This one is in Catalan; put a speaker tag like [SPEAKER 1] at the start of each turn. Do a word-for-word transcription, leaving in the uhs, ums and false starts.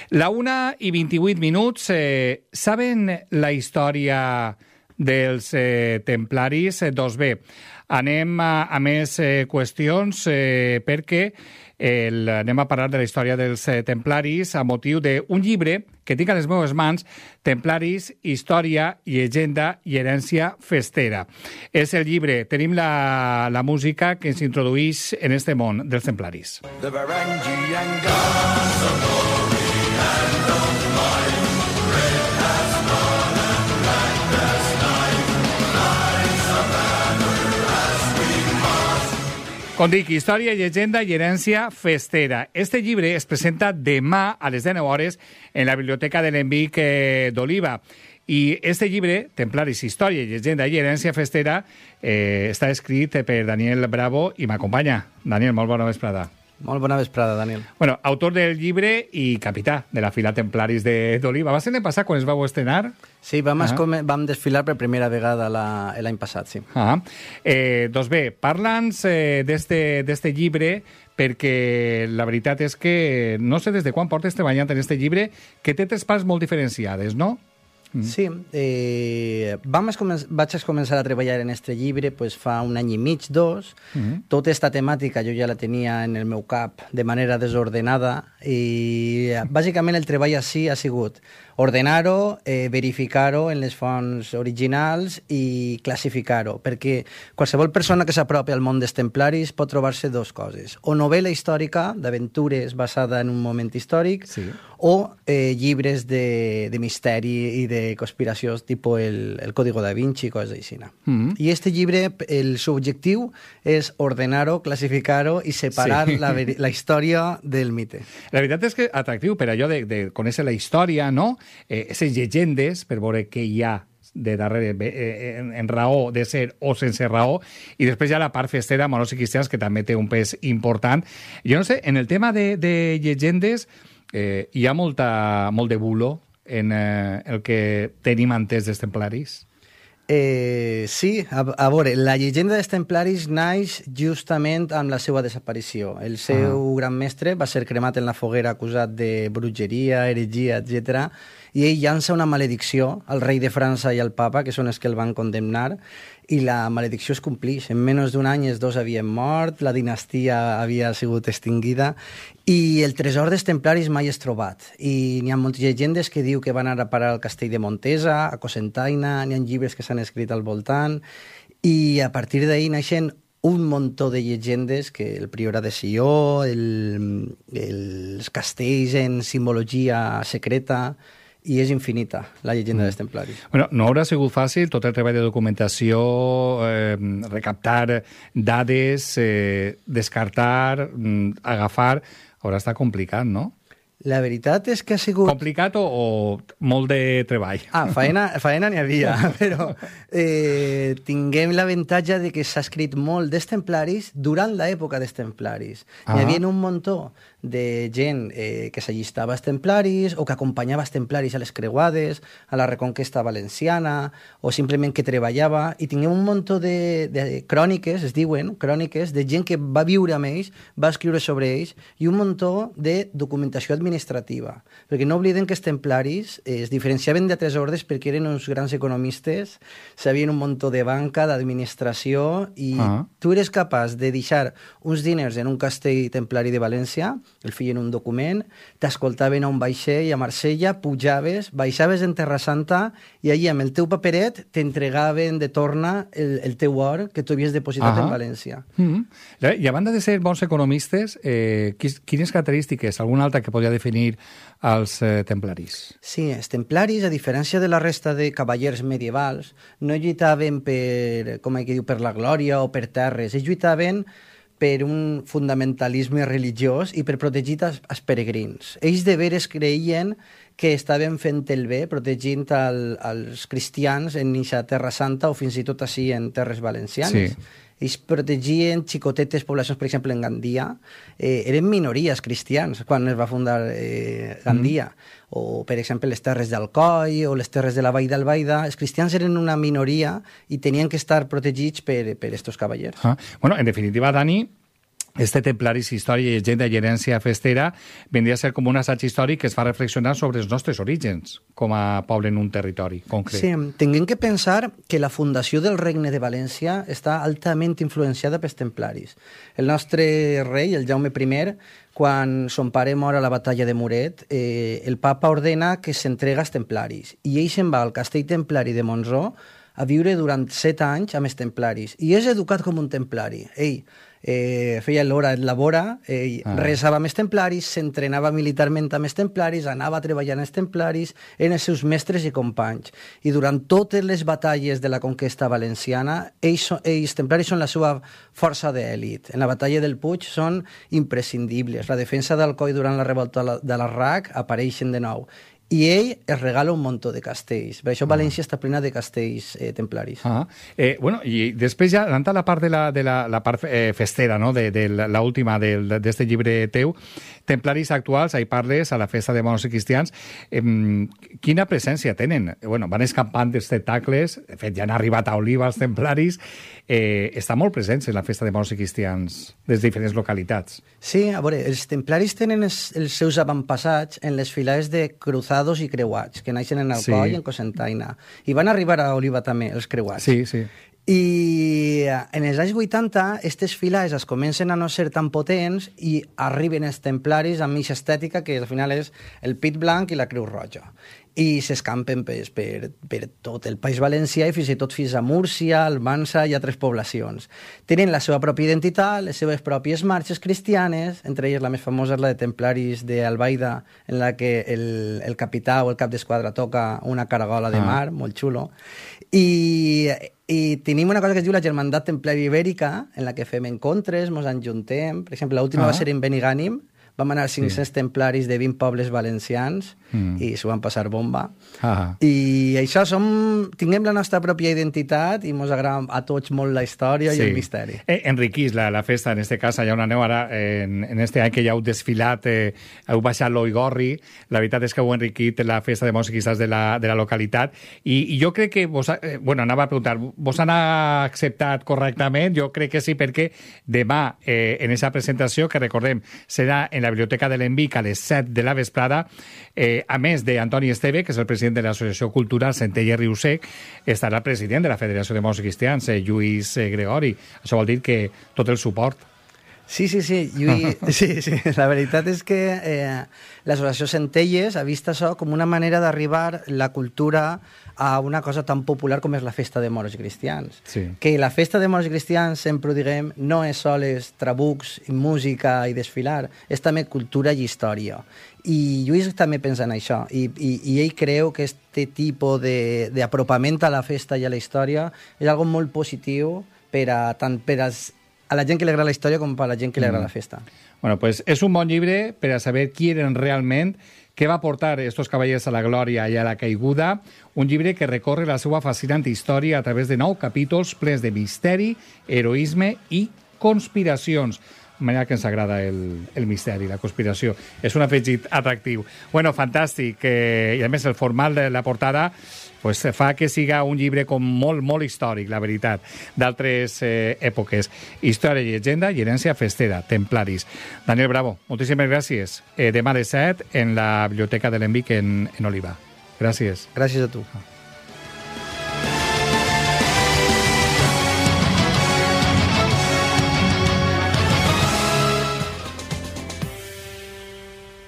[SPEAKER 1] La una i vint-i-vuit minuts. Eh, saben la història dels eh, templaris? Eh, doncs bé, anem a, a més eh, qüestions eh, perquè el, anem a parlar de la història dels eh, templaris a motiu d'un llibre que tinc a les meves mans, Templaris, història, llegenda i herència festera. És el llibre, tenim la, la música que ens introduïx en este món dels templaris. The Varangian gods of glory and of might, red has gone and black has night, lies a banner as we march. Com dic, història, llegenda i herència festera. Este llibre es presenta demà a les deu hores en la Biblioteca de l'Envic eh, d'Oliva. I este llibre, Templaris, història, llegenda i herència festera, eh, està escrit per Daniel Bravo i m'acompanya. Daniel, molt bona vesprada.
[SPEAKER 2] Molt bona vesprada, Daniel.
[SPEAKER 1] Bueno, autor del llibre i capità de la fila Templaris d'Oliva. Va ser l'any passat quan es vau estrenar?
[SPEAKER 2] Sí, vam, ah. vam desfilar per primera vegada l'any passat, sí.
[SPEAKER 1] Ah. Eh, doncs bé, parla'ns eh, d'este llibre, perquè la veritat és que no sé des de quan portes treballant en este llibre, que té tres parts molt diferenciades, no?
[SPEAKER 2] Mm. Sí, eh, vam vaig començar a treballar en este llibre pues, fa un any i mig, dos. Mm. Tota esta temàtica jo ja la tenia en el meu cap de manera desordenada i bàsicament el treball així ha sigut ordenar-ho, eh, verificar-ho en les fonts originals i classificar-ho, perquè qualsevol persona que s'apropi al món dels templaris pot trobar-se dues coses, o novel·la històrica d'aventures basada en un moment històric, sí, o eh, llibres de, de misteri i de conspiracions, tipus el, el Código da Vinci i coses així. Mm-hmm. I este llibre, el seu objectiu és ordenar-ho, classificar-ho i separar sí. la, la història del mite.
[SPEAKER 1] La veritat és que atractiu per allò de, de conèixer la història, no? Eh, aquestes llegendes, per veure què hi ha de darrere eh, en, en raó de ser o sense raó, i després hi ha la part festera, moros i cristians, que també té un pes important. Jo no sé, en el tema de, de llegendes eh, hi ha molta, molt de bulo en eh, el que tenim entès dels templaris?
[SPEAKER 2] Eh, sí, a, a veure, la llegenda dels templaris naix justament amb la seva desaparició. El seu ah. gran mestre va ser cremat en la foguera acusat de bruixeria, heretgia, etcètera, i ell llança una maledicció al rei de França i al papa, que són els que el van condemnar, i la maledicció es complix. En menys d'un any els dos havien mort, la dinastia havia sigut extinguida, i el tresor dels templaris mai és trobat. I n'hi ha moltes llegendes que diu que van anar a parar al castell de Montesa, a Cocentaina, n'hi ha llibres que s'han escrit al voltant, i a partir d'ahir naixen un muntó de llegendes, que el Priorat de Sió, el, els castells en simbologia secreta, i és infinita, la llegenda mm. dels templaris.
[SPEAKER 1] Bueno, no haurà sigut fàcil tot el treball de documentació, eh, recaptar dades, eh, descartar, mm, agafar. Haurà estat complicat, no?
[SPEAKER 2] La veritat és que ha sigut...
[SPEAKER 1] Complicat o, o molt de treball?
[SPEAKER 2] Ah, faena, faena n'hi havia, però eh, tinguem l'avantatge de que s'ha escrit molt dels templaris durant l'època dels templaris. Ah. N'hi havia un muntó de gent eh, que s'allistava als templaris o que acompanyava els templaris a les creuades, a la Reconquesta Valenciana, o simplement que treballava, i tinguem un muntó de, de cròniques, es diuen, cròniques, de gent que va viure amb ells, va escriure sobre ells, i un muntó de documentació administrativa. Perquè no obliden que els templaris eh, es diferenciaven d'altres ordes perquè eren uns grans economistes, sabien un muntó de banca, d'administració, i ah. tu eres capaç de deixar uns diners en un castell templari de València, el feien un document, t'escoltaven a un vaixell a Marsella, pujaves, baixaves en Terra Santa i allí amb el teu paperet t'entregaven de torna el, el teu or que tu havies depositat ah. en València.
[SPEAKER 1] Mm-hmm. I a banda de ser bons economistes, eh, quines característiques, alguna altra que podria definir els eh, templaris?
[SPEAKER 2] Sí, els templaris, a diferència de la resta de cavallers medievals, no lluitaven per, com que diu, per la glòria o per terres, ells lluitaven per un fundamentalisme religiós i per protegir els, els peregrins. Ells de veres creien que estaven fent el bé, protegint el, els cristians en eixa Terra Santa o fins i tot així en terres valencianes. Sí. Ells protegien xicotetes poblacions, per exemple, en Gandia. Eh, eren minories cristians quan es va fundar eh, Gandia. Mm. O, per exemple, les terres d'Alcoi o les terres de la Vall d'Albaida. Els cristians eren una minoria i tenien que estar protegits per, per estos cavallers.
[SPEAKER 1] Ah. Bueno, en definitiva, Dani, Este Templaris, història, llegenda i herència festera vendria a ser com un assaig històric que es fa reflexionar sobre els nostres orígens com a poble en un territori concret.
[SPEAKER 2] Sí, tinguem que pensar que la fundació del Regne de València està altament influenciada pels templaris. El nostre rei, el Jaume I, quan son pare mor a la batalla de Muret, eh, el papa ordena que s'entrega als templaris i ell se'n va al castell templari de Montsó a viure durant set anys amb els templaris i és educat com un templari. Ell eh, feia l'hora et labora, ell ah. resava amb els templaris, s'entrenava militarment amb els templaris, anava a treballar amb els templaris, eren els seus mestres i companys. I durant totes les batalles de la conquesta valenciana, ells, ells templaris són la seva força d'èlit. En la batalla del Puig són imprescindibles. La defensa d'Alcoi durant la revolta de l'Arrac apareixen de nou. I ell es regala un muntó de castells. Per això València ah. està plena de castells eh, templaris.
[SPEAKER 1] Ah. Eh, bueno, i després ja, anant a la part de la, de la, la part eh, festera, no? de, de l'última d'aquest llibre teu, templaris actuals, ahí parles a la festa de moros i cristians, eh, quina presència tenen? Bueno, van escampant espectacles, de fet ja han arribat a Oliva els templaris, eh, estan molt presents en la festa de moros i cristians des de diferents localitats.
[SPEAKER 2] Sí, a veure, els templaris tenen els, els seus avantpassats en les filades de cruzados i creuats, que naixen en Alcoi i sí. en Cocentaina. I van arribar a Oliva també, els creuats.
[SPEAKER 1] Sí, sí.
[SPEAKER 2] I en els anys vuitanta, aquestes filades es comencen a no ser tan potents i arriben els templaris amb aquesta estètica que al final és el pit blanc i la creu roja. I s'escampen per, per, per tot el País Valencià i fins i tot fins a Múrcia, Almansa i altres poblacions. Tenen la seva pròpia identitat, les seves pròpies marxes cristianes, entre elles la més famosa és la de templaris d'Albaida, en la que el, el capità o el cap d'esquadra toca una caragola de mar, ah. molt xulo. I, I tenim una cosa que es diu la Germandat Templària Ibèrica, en la que fem encontres, mos enjuntem. Per exemple, l'última ah. va ser en Benigànim, vam anar cinc-cents sí. templaris de vint pobles valencians mm. i s'ho van passar bomba. Ah. I això som... Tinguem la nostra pròpia identitat i ens agrada a tots molt la història sí. i el misteri.
[SPEAKER 1] Eh, enriquís la, la festa, en este cas, allà on aneu ara, en, en este any que ja heu desfilat, eh, heu baixat l'Oigorri, la veritat és que heu enriquit la festa de moros i cristians de la, de la localitat i, i jo crec que vos, eh, bueno, anava a preguntar, vos han acceptat correctament? Jo crec que sí, perquè demà, eh, en aquesta presentació, que recordem, serà en la Biblioteca de l'Envic a les set de la vesprada, eh, a més d'Antoni Esteve, que és el president de l'Associació Cultural Centella i Riu Sec, estarà el president de la Federació de Moros i Cristians, eh, Lluís eh, Gregori. Això vol dir que tot el suport.
[SPEAKER 2] Sí, sí, sí. Lluís, sí, sí. La veritat és que eh, l'Associació Centelles ha vist això com una manera d'arribar la cultura a una cosa tan popular com és la festa de moros i cristians.
[SPEAKER 1] Sí.
[SPEAKER 2] Que la festa de moros i cristians, sempre ho diguem, no és sols trabucs, música i desfilar, és també cultura i història. I Lluís també pensa en això, i, i, i ell creu que aquest tipus d'apropament a la festa i a la història és algo molt positiu per a, tant per als a la gent que li agrada la història com a la gent que li agrada mm. la festa.
[SPEAKER 1] Bueno, pues és un bon llibre per a saber qui eren realment, què va portar estos cavallers a la glòria i a la caiguda, un llibre que recorre la seva fascinant història a través de nou capítols plens de misteri, heroisme i conspiracions. De manera que ens agrada el, el misteri, la conspiració. És un afegit atractiu. Bueno, fantàstic. Eh, I a més el format de la portada pues, fa que siga un llibre com molt, molt històric, la veritat, d'altres eh, èpoques. Història i llegenda i herència festera, templaris. Daniel Bravo, moltíssimes gràcies. Eh, demà a les set en la Biblioteca de l'Envic en, en Oliva. Gràcies.
[SPEAKER 2] Gràcies a tu.